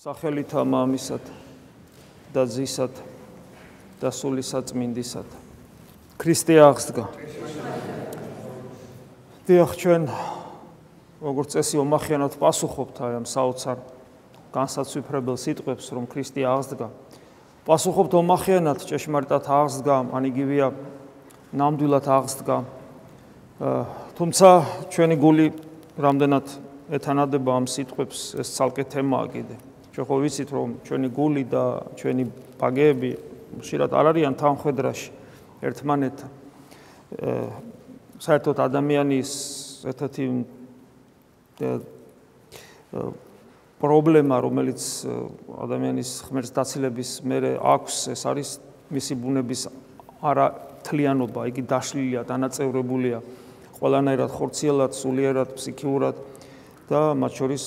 სახელითა მამისად და ძისად და სულისაწმინდისად. ქრისტე აღსდგა. დიახ, ჩვენ როგორც წესი ომახიანად პასუხობთ ამ საოცარ განსაცვიფრებელ სიტყვებს, რომ ქრისტე აღსდგა. პასუხობთ ომახიანად, ჭეშმარიტად აღსდგა, ან იგივეა ნამდვილად აღსდგა. თუმცა ჩვენი გული რამდენად ეთანადება ამ სიტყვებს, ეს ცალკე თემაა კიდე. ჩვენ ხო ვიცით, რომ ჩვენი გული და ჩვენი ბაგეები ხშირად არ არიან თანხვედრაში ერთმანეთთან. საერთოდ ადამიანის ერთ-ერთი პრობლემა, რომელიც ადამიანის ღმერთს დაცილების მერე აქვს, ეს არის მისი ბუნების არათლიანობა, იგი დაშლილია, დანაწევრებულია ყველანაირად ხორციელად, სულიერად, ფსიქიურად და მათ შორის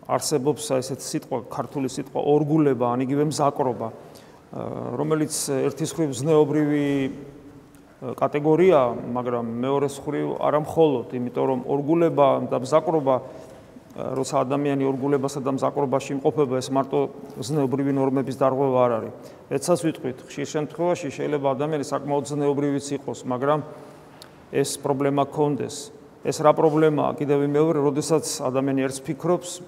არსებობს ესეთი სიტყვა, ქართული სიტყვა ორგულება, ან იგივე მზაკრობა, რომელიც ერთის მხრივ ზნეობრივი კატეგორია, მაგრამ მეორეს მხრივ არა მხოლოდ, იმიტომ რომ ორგულება და მზაკრობა, როცა ადამიანი ორგულებასა და მზაკრობაში იმყოფება, ეს მარტო ზნეობრივი ნორმების დარღვევა არ არის. ეცას ვიტყვით, ხშირ შემთხვევაში შეიძლება ადამიანი საკმაოდ ზნეობრივიც იყოს, მაგრამ ეს პრობლემა გქონდეს. ეს რა პრობლემაა? კიდევ მეორე, როდესაც ადამიანი ერთს ფიქრობს,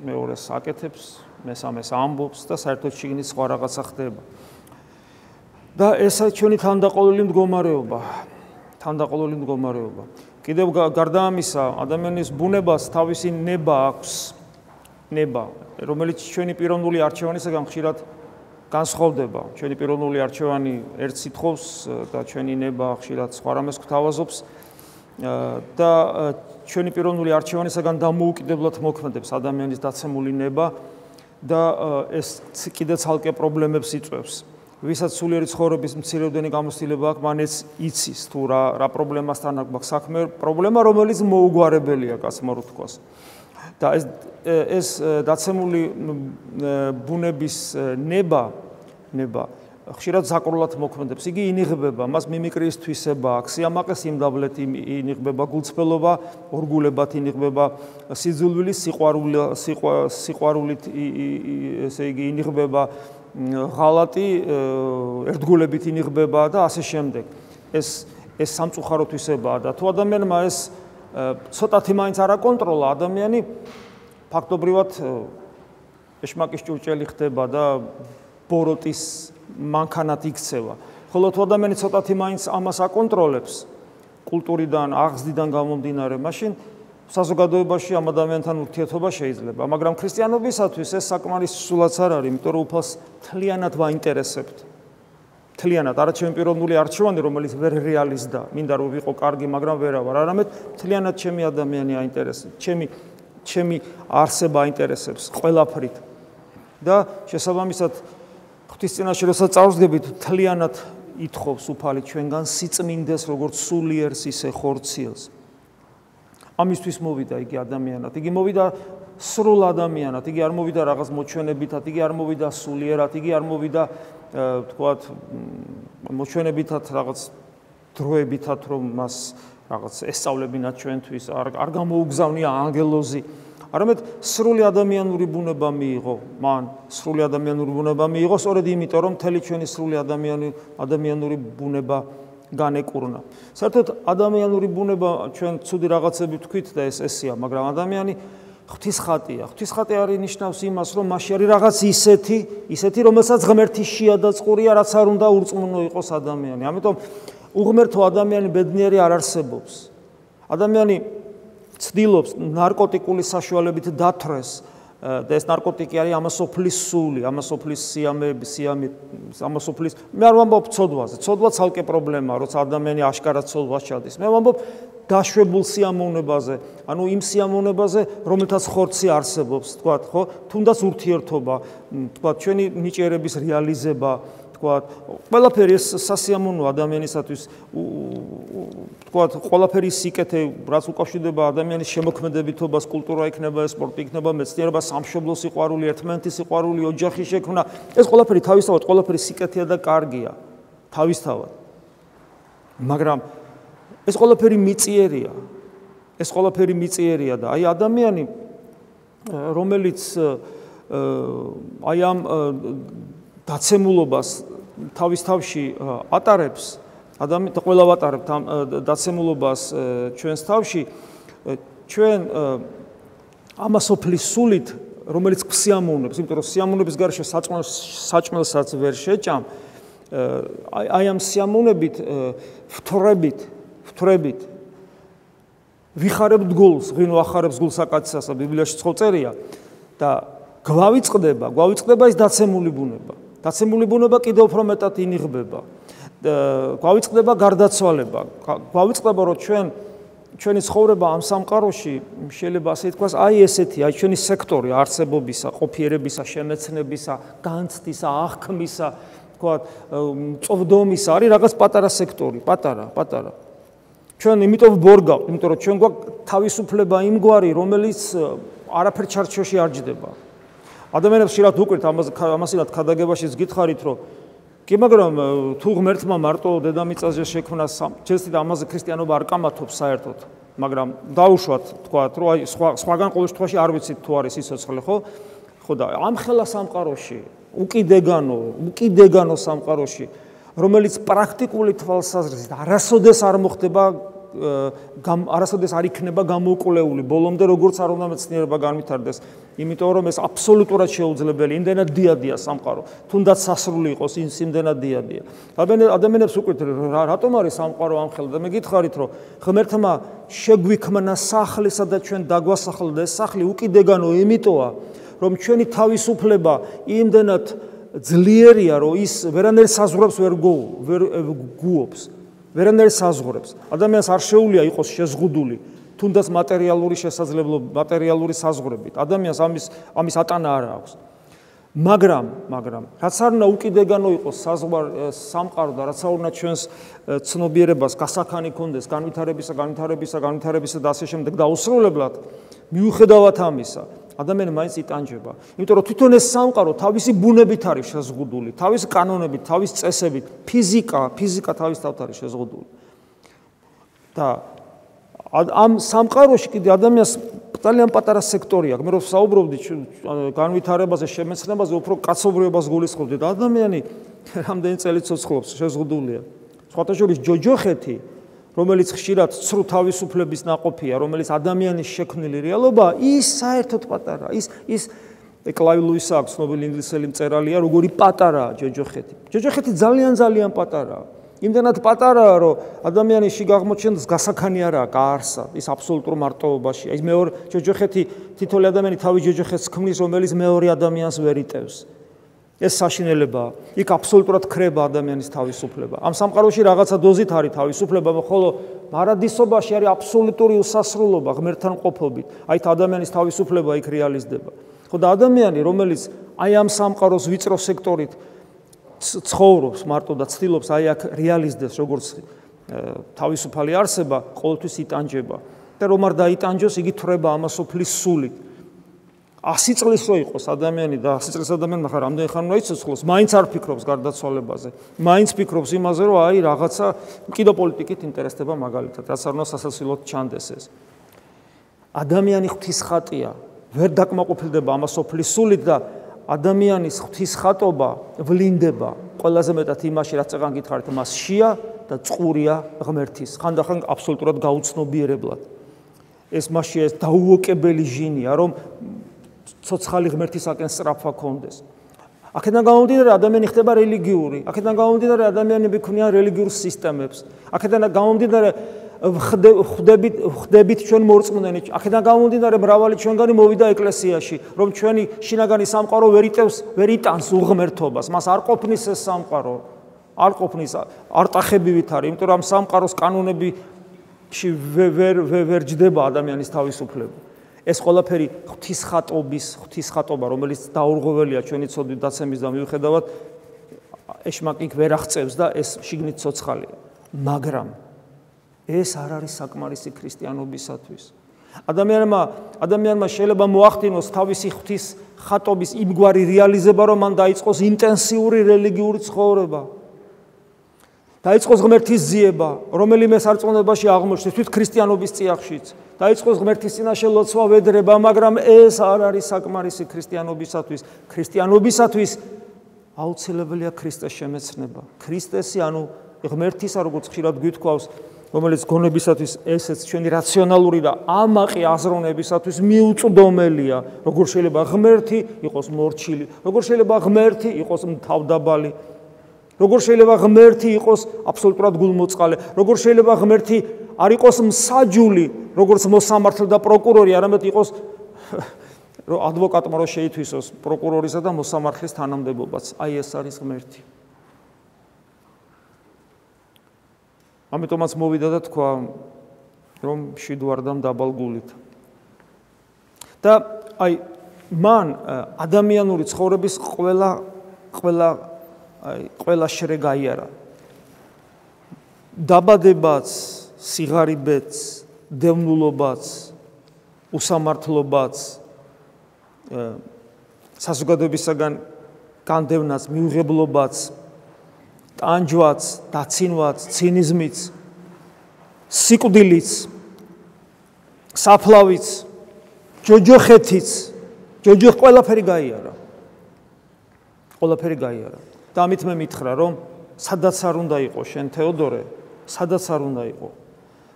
მეორეს აკეთებს, მესამეს ამბობს და საერთოდ შიგნით სხვა რაღაცა ხდება. და ესა ჩვენი თანდაყოლილი მდგომარეობა. კიდევ გარდა ამისა, ადამიანის ბუნებას თავისი ნება აქვს, რომელიც ჩვენი პიროვნული არჩევანისაგან ხშირად განსხვავდება. ჩვენი პიროვნული არჩევანი ერთს ითხოვს და ჩვენი ნება ხშირად სხვა რამეს გვთავაზობს. და ჩვენი პიროვნული არჩევანისაგან დამოუკიდებლად მოქმედებს ადამიანის დაცემული ნება და ეს კიდე ცალკე პრობლემებს იწვევს. ვისაც სულიერი ცხოვრების მცირეოდენი გამოცდილება აქვს, მან ეს იცის თუ რა პრობლემასთან აქვს საქმე, პრობლემა, რომელიც მოუგვარებელია, გასმარო თქვას. და ეს დაცემული ბუნების ნება ხშირად ზაკრულად მოქმედებს. იგი ინიღბება, მას მიმიკრის თვისება აქვს, სიამაყე სიმდაბლეთ ინიღბება, გულწრფელობა ორგულებად ინიღბება, სიძულვილის სიყვარულით ესე იგი ინიღბება, ღალატი ერთგულებით ინიღბება და ასე შემდეგ. ეს სამწუხარო თვისებაა და თუ ადამიანმა ეს ცოტათი მაინც არ აკონტროლა, ადამიანი ფაქტობრივად ეშმაკის ჭურჭელი ხდება და ბოროტის მანქანად იქცევა. ხოლო თუ ადამიანი ცოტათი მაინც ამას აკონტროლებს, კულტურიდან, აღზრდიდან გამომდინარე, მაშინ საზოგადოებაში ამ ადამიანთან ურთიერთობა შეიძლება. მაგრამ ქრისტიანობისათვის ეს საკმარისი სულაც არ არის, იმიტომ რომ უფალს თლიანად ვაინტერესებთ. თლიანად, არა ჩემი პიროვნული არჩევანი, რომელიც ვერ რეალიზდა, მინდა რომ ვიყო კარგი, მაგრამ ვერა ვარ, არამედ თლიანად ჩემი ადამიანი აინტერესებს, ჩემი არსება აინტერესებს ყველაფრით. და შესაბამისად ღვთის წინაშე როცა წავსდგებით, თლიანად ითხოვს უფალი ჩვენგან სიწმინდეს, როგორც სულიერს, ისე ხორციელს. ამისთვის მოვიდა იგი ადამიანად, იგი მოვიდა სრულ ადამიანად, იგი არ მოვიდა რაღაც მოჩვენებითად, იგი არ მოვიდა სულიერად, იგი არ მოვიდა თქვათ მოჩვენებითად, რაღაც დროებითად, რომ მას რაღაც ესწავლებინათ ჩვენთვის, არ გამოუგზავნია ანგელოზი. არამედ სრული ადამიანური ბუნება მიიღო, მან სრული ადამიანური ბუნება მიიღო, სწორედ იმიტომ, რომ მთელი ჩვენი სრული ადამიანური ბუნება განეკურნა. საერთოდ ადამიანური ბუნება ჩვენ ცუდი რაღაცები ვთქვით და ეს ესეა, მაგრამ ადამიანი ღვთის ხატია. ღვთის ხატი არის ნიშნავს იმას, რომ მასში არის რაღაც ისეთი, რომელსაც ღმერთი შეადაწყურია, რაც არ უნდა ურწმუნო იყოს ადამიანი. ამიტომ უღმერთო ადამიანი ბედნიერი არ არსებობს. ადამიანი ცდილობს ნარკოტიკული საშუალებით დათრეს და ეს ნარკოტიკი არის ამასოფლის სული, ამასოფლის სიამეები, ამასოფლის მე არ ვამბობ ცოდვაზე. ცოდვა ცალკე პრობლემაა, როცა ადამიანი აშკარად ცოდვას ჩადის. მე ვამბობ დაშვებულ სიამოვნებაზე, ანუ იმ სიამოვნებაზე, რომელთაც ხორცი არსებობს, თქვათ, ხო? თუნდაც ურთიერთობა, თქვათ, ჩვენი ნიჭიერების რეალიზება, თქვათ, ყველაფერი ეს სასიამოვნო ადამიანისათვის, თქვათ, ყველაფერი სიკეთე, რაც უკავშირდება ადამიანის შემოქმედებითობას, კულტურა იქნება, სპორტი იქნება, მეცნიერება, სამშობლო სიყვარული, ერთმანეთის სიყვარული, ოჯახის შექმნა, ეს ყველაფერი თავისთავად, ყველაფერი სიკეთეა და კარგია, თავისთავად. მაგრამ ეს ყველაფერი მიწიერია და აი ადამიანი, რომელიც აი ამ დაცემულობას თავის თავში ატარებს, ადამიანი ყველა ვატარებთ ამ დაცემულობას ჩვენს თავში, ჩვენ ამასოფლის სულით, რომელიც სიამოვნებს, იმიტომ რომ სიამოვნების გარეშე საჭმელსაც ვერ შეჭამ, აი ამ სიამოვნებით ვთვრებით ვიხარებთ გულს, ვინო ახარებს გულს აკაცისასა, ბიბლიაში წერია და გვავიწყდება ის დაცემული ბუნება. დაცემული ბუნება კიდევ უფრო მეტად ინიღბება. გვავიწყდება გარდაცვალება. გვავიწყდება რომ ჩვენი ცხოვრება ამ სამყაროში შეიძლება ასე ითქვას, აი ესეთი, აი ჩვენი სექტორი არსებობისა, ყოფიერებისა, შემეცნებისა, განცდისა, აღქმისა, თქვათ, წვდომისა არის რაღაც პატარა სექტორი, პატარა. ჩვენ იმიტომ ვბორგავთ, იმიტომ რომ ჩვენ გვაქვს თავისუფლება იმგვარი, რომელიც არაფერ ჩარჩოში არ ჯდება. ადამიანებს შეიძლება უკვირთ ამასილად ქადაგებაშიც გითხარით, რომ კი, მაგრამ თუ ღმერთმა მარტო დედამიწაზე შექმნა, ჯერცით ამაზე ქრისტიანობა არ კამათობს საერთოდ, მაგრამ დაუშვათ თქვათ, რომ აი სხვაგან ყოველ შემთხვევაში არ ვიცით თუ არის სიცოცხლე, ხო? ხო და ამხელა სამყაროში, უკიდეგანო სამყაროში, რომელიც პრაქტიკული თვალსაზრისით არასოდეს არ მოხდება, არასოდეს არ იქნება გამოკვლეული ბოლომდე, როგორც არ უნდა მეცნიერება განვითარდეს, იმიტომ რომ ეს აბსოლუტურად შეუძლებელი, იმდენად დიადია სამყარო, თუნდაც სასრული იყოს, იმდენად დიადია. ადამიანებს უკვირთ, რატომ არის სამყარო ამხელა და მე გითხარით, რომ ღმერთმა შეგვიქმნა სახლი, სადაც ჩვენ დაგვასახლდა, ეს სახლი უკიდეგანო იმიტოა, რომ ჩვენი თავისუფლება იმდენად ძლიერია, რომ ის ვერანაირ საზღვრებს ვერ გუობს. ვერანაირ საზღვრებს. ადამიანს არ შეუძლია იყოს შეზღუდული, თუნდაც მატერიალური შესაძლებლობა, მატერიალური საზღვრებით. ადამიანს ამის ატანა არ აქვს. მაგრამ რაც არ უნდა უკიდეგანო იყოს სამყარო და რაც არ უნდა ჩვენს ცნობიერებას გასაქანი ქონდეს, განვითარებისა და ასე შემდეგ დაუსრულებლად, მიუხედავად ამისა, ადამიანი მაინც იტანჯება. იმიტომ რომ თვითონ ეს სამყარო თავისი ბუნებით არის შეზღუდული, თავისი კანონებით, თავის წესებით, ფიზიკა თავის თავად არის შეზღუდული. და ამ სამყაროში კიდე ადამიანს ძალიან პატარა სექტორი აქვს. მე რო საუბრობდი განვითარებაზე, შემეცნებაზე, უფრო კაცობრიობას გულისხმობდი და ადამიანი რამდენი წელი ცოცხლობს, შეზღუდულია. სხვათა შორის ჯოჯოხეთი, რომელიც ხშირად ცრუ თავისუფლების ნაყოფია, რომელიც ადამიანის შექმნილი რეალობაა, ის საერთოდ პატარა. ის კლაივ ლუისი აქვს ცნობილი ინგლისელი მწერალია, როგორი პატარაა ჯოჯოხეთი. ჯოჯოხეთი ძალიან პატარაა. იმდენად პატარაა, რომ ადამიანის შიგ აღმოჩენს გასაქანი არაა, გაარსა, ის აბსოლუტურ მარტოობაშია. ის მეორე ჯოჯოხეთი თითოეული ადამიანი თავის ჯოჯოხეთს ქმნის, რომელიც მეორე ადამიანს ვერ იტევს. ეს საშინელებაა. იქ აბსოლუტურად ქრება ადამიანის თავისუფლება. ამ სამყაროში რაღაცა დოზით არის თავისუფლება, ხოლო მარადისობაში არის აბსოლუტური უსასრულობა ღმერთთან ყოფობით. აი ადამიანის თავისუფლება იქ რეალიზდება. ხო და ადამიანი, რომელიც აი ამ სამყაროს ვიწრო სექტორით ცხოვრობს მარტო და ცდილობს აი აქ რეალიზდეს როგორც თავისუფალი არსება, ყოველთვის იტანჯება. და რომ არ დაიტანჯოს, იგი თვრება ამასოფლის სულით. 100 წლის რო იყოს ადამიანი და 100 წლის ადამიანი ახლა რამდენი ხანი უნდა იცოცხლოს, მაინც არ ფიქრობს გარდაცვალებაზე. მაინც ფიქრობს იმაზე, რომ აი რაღაცა კიდო პოლიტიკით ინტერესდება მაგალითად, რაც არ უნდა სასაცილოდ ჩანდეს ეს. ადამიანი ღვთისხატია, ვერ დაკმაყოფილდება ამასოფლის სულით და ადამიანის ღვთისხატობა ვლინდება ყველაზე მეტად იმაში, რაც წეგან გითხარით, მას შია და წყურია ღმერთის, ხანდახან აბსოლუტურად გაუცნობიერებლად. ეს მასში ეს დაუოკებელი ჟინია, რომ ცოცხალი ღმერთისაკენ სწრაფვა კონდეს. აქედან გამომდინარე ადამიანი ხდება რელიგიური, აქედან გამომდინარე ადამიანები ქმნიან რელიგიურ სისტემებს, აქედან გამომდინარე ხვდებით ჩვენ მორწმუნენი, აქედან გამომდინარე მრავალი ჩვენგანი მოვიდა ეკლესიაში, რომ ჩვენი შინაგანი სამყარო ვერ იტანს უღმერთობას, მას არ ყოფნის ეს სამყარო, არ ყოფნის, არ ტახებივით არის, იმიტომ რომ სამყაროს კანონებში ვერ ჯდება ადამიანის თავისუფლება. ეს ყველაფერი ღვთისხატობა, რომელიც დაურღვეველია ჩვენი ცოდვით დაცემის და მიუხედავად ეშმაკი ვერ აღწევს და ეს შიგნით ცოცხალია. მაგრამ ეს არ არის საკმარისი ქრისტიანობისათვის. ადამიანმა შეიძლება მოახდინოს თავისი ღვთისხატობის იმგვარი რეალიზება, რომ მან დაიწყოს ინტენსიური რელიგიური ცხოვრება. დაიწყოს ღმერთის ძიება, რომელიმე სარწმუნოებაში აღმოჩნდეს თვით ქრისტიანობის წიაღშიც. დაიწყოს ღმერთის წინაშე ლოცვა ვედრება, მაგრამ ეს არ არის საკმარისი ქრისტიანობისათვის. ქრისტიანობისათვის აუცილებელია ქრისტეს შემეცნება. ქრისტესი, ანუ ღმერთისა, როგორც ხშირად გვითქვავს, რომელიც გონებისათვის ესეც ჩვენი რაციონალური და ამაყი აზროვნებისათვის მიუწვდომელია. როგორ შეიძლება ღმერთი იყოს მორჩილი, როგორ შეიძლება ღმერთი იყოს თავდაბალი, როგორ შეიძლება ღმერთი იყოს აბსოლუტურად გულმოწყალე, როგორ შეიძლება ღმერთი არ იყოს მსაჯული, როგორც მოსამართლე და პროკურორი, არამედ იყოს ადვოკატმა რო შეითვისოს პროკურორისა და მოსამართლის თანამდებობაც. აი ეს არის ღმერთი. ამიტომაც მოვიდა და თქვა, რომ მშვიდვარდამ დაბალ გულით. და აი მან ადამიანური ცხოვრების ყველა შრე გაიარა. დაბადებაც, სიღარიბეც, დევნულობაც, უსამართლობაც, საზოგადოებისაგან განდევნაც, მიუღებლობაც, ტანჯვაც, დაცინვაც, ცინიზმიც, სიკვდილიც, საფლავიც, ჯოჯოხეთიც, ყველაფერი გაიარა. ყველაფერი გაიარა. და ამით მე მითხრა, რომ სადაც არ უნდა იყოს შენ თეოდორე, სადაც არ უნდა იყო.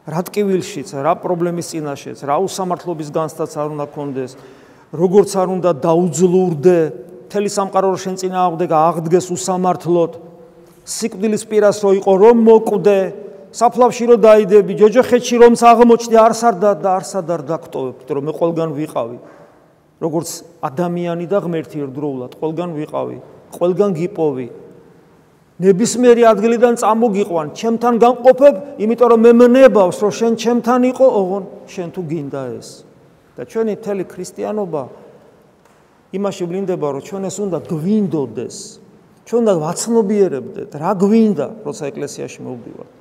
რა ტკივილშიც, რა პრობლემის წინაშეც, რა უსამართლობის განცდაც არ უნდა გქონდეს, როგორც არ უნდა დაუძლურდე, მთელი სამყარო შენ წინააღმდეგ აღდგეს უსამართლოდ, სიკვდილის პირას რო იყო რომ მოკვდე, საფლავში რო დაიდები, ჯოჯოხეთში რომ აღმოჩნდი, არსად არ დაგტოვებ, რომ მე ყველგან ვიყავი. როგორც ადამიანი და ღმერთი ერთდროულად, ყველგან ვიყავი, ყველგან გიპოვი. ნებისმიერი ადგილიდან წამოგიყვან, ჩემთან განყოფებ, იმიტომ რომ მე მნებავს, რომ შენ ჩემთან იყო, ოღონ შენ თუ გინდა ეს. და ჩვენი მთელი ქრისტიანობა იმაში ვლინდება, რომ ჩვენ ეს უნდა გვინდოდეს. ჩვენ უნდა ვაცნობიერებდეთ, რა გვინდა, როცა ეკლესიაში მოვდივართ.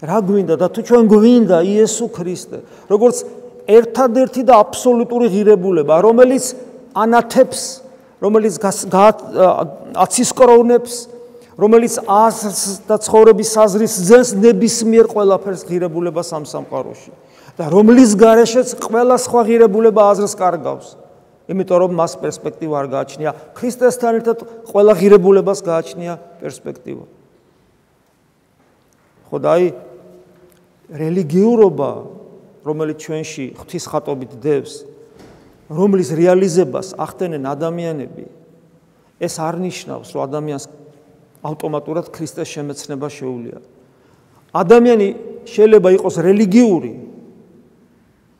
რა გვინდა და თუ ჩვენ გვინდა იესო ქრისტე, როგორც ერთადერთი და აბსოლუტური ღირებულება, რომელიც ანათებს, რომელიც აცისკროვნებს, რომელიც აზრს და ცხოვრების აზრის ძენს ნებისმიერ ყველაფერს ღირებულებას ამ სამყაროში. და რომლის გარეშეც ყველა სხვა ღირებულება აზრს კარგავს. იმიტომ რომ მას პერსპექტივა არ გააჩნია. ქრისტესთან ერთად ყველა ღირებულებას გააჩნია პერსპექტივა. ხო და აი რელიგიურობა, რომელიც ჩვენში ღვთისხატობით დევს, რომლის რეალიზებას ახდენენ ადამიანები, ეს არ ნიშნავს, რომ ადამიანს ავტომატურად ქრისტეს შემეცნება შეუძლია. ადამიანი შეიძლება იყოს რელიგიური,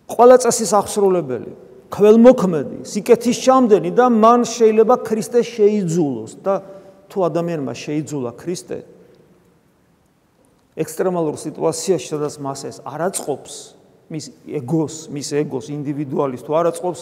ყველა წესის აღსრულებელი, ქველმოქმედი, სიკეთის ჩამდენი და მან შეიძლება ქრისტე შეიძულოს და თუ ადამიანმა შეიძულა ქრისტე ექსტრემალურ სიტუაციაში, სადაც მას ეს არ აწყობს, მის ეგოს, ინდივიდუალის თუ არ აწყობს,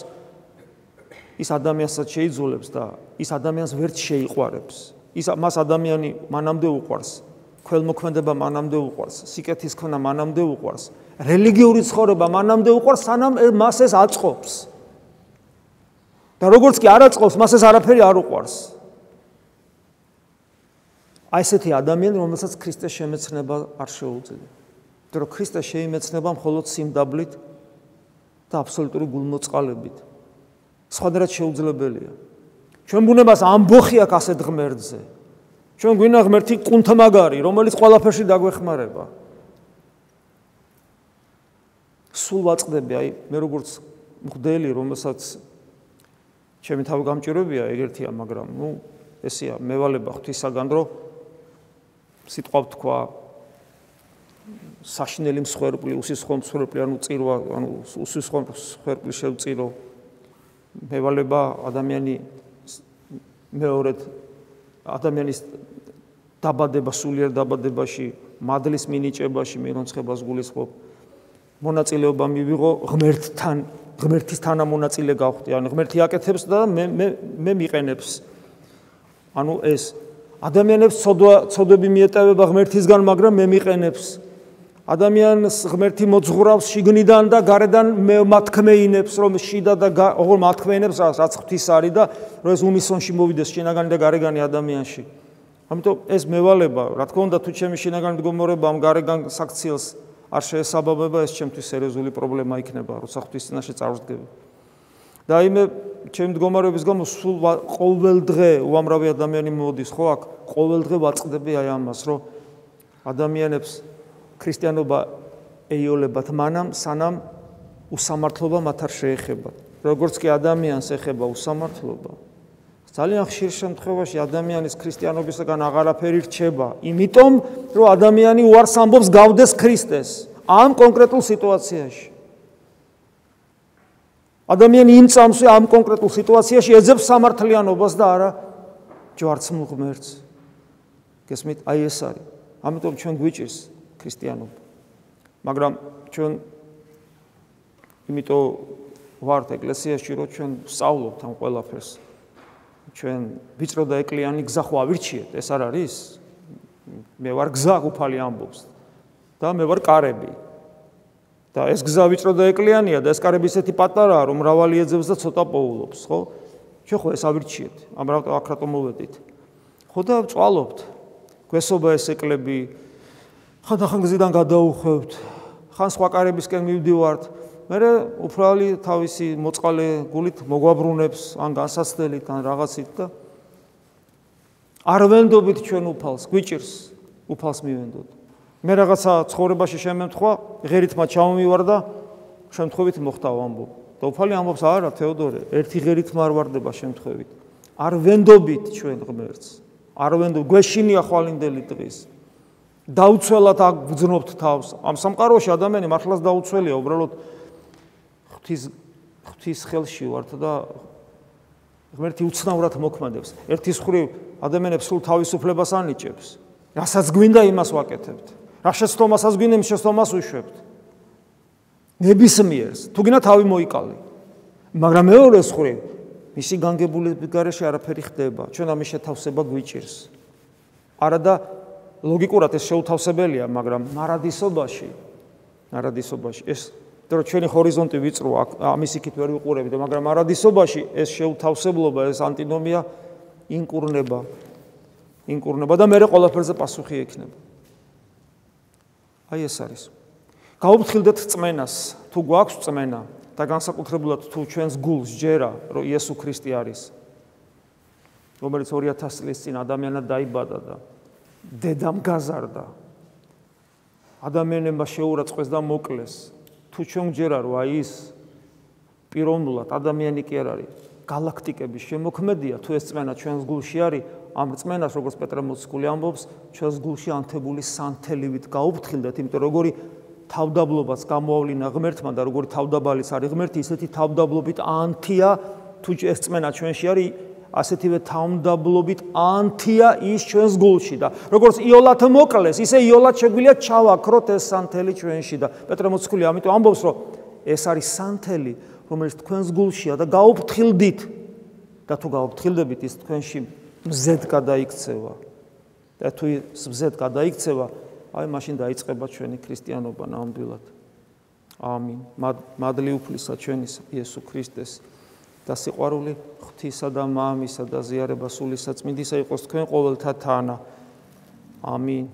ის ადამიანსაც შეიძულებს და ის ადამიანს ვერც შეიყვარებს. მას ადამიანი მანამდე უყვარს, ქველმოქმედება მანამდე უყვარს, სიკეთის ქმნა მანამდე უყვარს, რელიგიური ცხოვრება მანამდე უყვარს, სანამ მას ეს აწყობს. და როგორც კი არ აწყობს, მას ეს არაფერი არ უყვარს. აი ესეთი ადამიანი, რომელსაც ქრისტეს შემეცნება არ შეუძლია. იმიტომ რომ ქრისტეს შეიმეცნება მხოლოდ სიმდაბლით და აბსოლუტური გულმოწყალებით. სხვადასხვა შეუძლებელია. ჩვენ ბუნებას ამბოხი აქვს ასეთ ღმერთზე. ჩვენ გვინდა ღმერთი კუნთმაგარი, რომელიც ყველაფერში დაგვეხმარება. სულ ვაწყდები, აი მე როგორც მღვდელი, რომელსაც ჩემი თავი გამჭირვებია ეგერთია, მაგრამ ესეა მევალება ღვთისაგან, რომ სიტყვა ვთქვა საშინელი მსხვერპლი, უსისხლო მსხვერპლი, ანუ წირვა, ანუ უსისხლო მსხვერპლი შევწირო. მევალება ადამიანი მეორედ ადამიანის დაბადება, სულიერ დაბადებაში, მადლის მინიჭებაში, მირონცხებას გულისხმობ. მონაწილეობა მივიღო ღმერთთან, ღმერთის თანამონაწილე გავხდი. ანუ ღმერთი აკეთებს და მე მიყენებს. ანუ ეს ადამიანებს ცოდვები მიეტევება ღმერთისგან, მაგრამ მე მიყენებს. ადამიანს ღმერთი მოძღვრავს შიგნიდან და გარედან მათქმეინებს, რომ შიდა და ოღონდ მათქმეინებს, რაც ღვთის არის და რომ ეს უნისონში მოვიდეს შინაგანი და გარეგანი ადამიანში. ამიტომ ეს მევალება, რა თქმა უნდა, თუ ჩემი შინაგანი მდგომარეობა ამ გარეგან საქციელს არ შეესაბამება, ეს ჩემთვის სერიოზული პრობლემა იქნება, როცა ღვთის წინაშე წარვდგები. და იმე ჩემი მდგომარეობის გამო სულ ყოველ დღე უამრავი ადამიანი მოდის, ხო აქ ყოველ დღე ვაწყდები აი ამას, რომ ადამიანებს ქრისტიანობა ეიოლებათ მანამ, სანამ უსამართლობა მათ არ შეეხებათ. როგორც კი ადამიანს ეხება უსამართლობა, ძალიან ხშირ შემთხვევაში ადამიანის ქრისტიანობისგან აღარაფერი რჩება, იმიტომ რომ ადამიანი უარს ამბობს გავდეს ქრისტეს ამ კონკრეტულ სიტუაციაში. ადამიანი იმ წამსვე ამ კონკრეტულ სიტუაციაში ეძებს სამართლიანობას და არა ჯვარცმულ ღმერთს. გესმით? აი ეს არის. ამიტომ ჩვენ გვიჭირს ქრისტიანობა. მაგრამ ჩვენ იმიტომ ვართ ეკლესიაში, რომ ჩვენ ვსწავლობთ ამ ყველაფერს. ჩვენ ვიწრო და ეკლიანი გზა ხო ავირჩიეთ, ეს არ არის? მე ვარ გზა, უფალი ამბობს და მე ვარ კარები. და ეს გზა ვიწრო და ეკლიანია და ეს კარები ისეთი პატარაა, რომ მრავალი ეძებს და ცოტა პოულობს, ხო? ჩვენ ხო ეს ავირჩიეთ, ამ აქ რატომ მოვედით? ხო და ვწვალობთ. გვესობა ეს ეკლები, ხანდახან გზიდან გადაუხვევთ, ხან სხვა კარებისკენ მივდივართ. მერე უფალი თავისი მოწყალე გულით მოგვაბრუნებს, ან განსაცდელით, ან რაღაცით და არ ვენდობით ჩვენ უფალს, გვიჭირს უფალს მივენდოთ. მე რაღაცა ცხოვრებაში შემემთხვა, ღერითმა ჩავმივარ და შემთხვევით მოხდავ ამბობ. და უფალი ამბობს, არა თეოდორე, ერთი ღერით არ ვარდება შემთხვევით. არ ვენდობით ჩვენ ღმერთს. არ ვენდობ, გვეშინია ხვალინდელი დღის. დაუცველად აგძნობთ თავს. ამ სამყაროში ადამიანი მართლაც დაუცველია, უბრალოდ ღვთის ხელში ვართ და ღმერთი უცნაურად მოქმედებს. ერთის მხრივ ადამიანებს სულ თავისუფლებას ანიჭებს. რასაც გვინდა იმას ვაკეთებთ. რა შეცდომასაც გვინდა იმ შეცდომას ვუშვებთ. ნებისმიერს, თუ გინდა თავი მოიკალე. მაგრამ მეორეს მხრივ მისი განგებულების გარეშე არაფერი ხდება. ჩვენ ამის შეთავსება გვიჭირს. არადა ლოგიკურად ეს შეუთავსებელია, მაგრამ მარადისობაში ეს რომ ჩვენი ჰორიზონტი ვიწრო ამის იქით ვერ ვიყურებით, მაგრამ მარადისობაში ეს შეუთავსებლობა, ეს ანტინომია ინკურნება და მერე ყველაფერზე პასუხი ექნება. აი ეს არის. გაუფრთხილდეთ წმენას, თუ გვაქვს წმენა და განსაკუთრებულად თუ ჩვენს გულს ჯერა, რომ იესო ქრისტე არის, რომელიც 2000 წლის წინ ადამიანად დაიბადა და დედამ გაზარდა. ადამიანებმა შეურაცხყვეს და მოკლეს. თუ ჩვენ ჯერა რომ აი ის პიროვნულად ადამიანი კი არ არის, galaktikების შემოქმედია, თუ ეს წმენა ჩვენს გულში არის, ამ წმენას როგორც პეტრე მოციქული ამბობს, ჩვენს გულში ანთებული სანთელივით გაუფრთხილდეთ, იმიტომ როგორი თავდაბლობაც გამოავლინა ღმერთმა და როგორი თავდაბალიც არის ღმერთი, ისეთი თავდაბლობით ანთია, თუ ეს წმენა ჩვენში არის, ასეთივე თავდაბლობით ანთია ის ჩვენს გულში და როგორც იოლად მოკლეს, ისე იოლად შეგვიძლია ჩავაქროთ ეს სანთელი ჩვენში და პეტრე მოციქული ამიტომ ამბობს, რომ ეს არის სანთელი, რომელიც თქვენს გულშია და გაუფრთხილდით და თუ გაუფრთხილდებით, ის თქვენში მზედ გადაიქცევა. და თუ ის მზედ გადაიქცევა, აი მაშინ დაიწყება ჩვენი ქრისტიანობა ნამდვილად. ამინ. მადლი უფლისა ჩვენისა იესო ქრისტეს და სიყვარული ღვთისა და მამისა და ზიარება სული საწმინდისა იყოს თქვენ ყოველთა თანა. ამინ.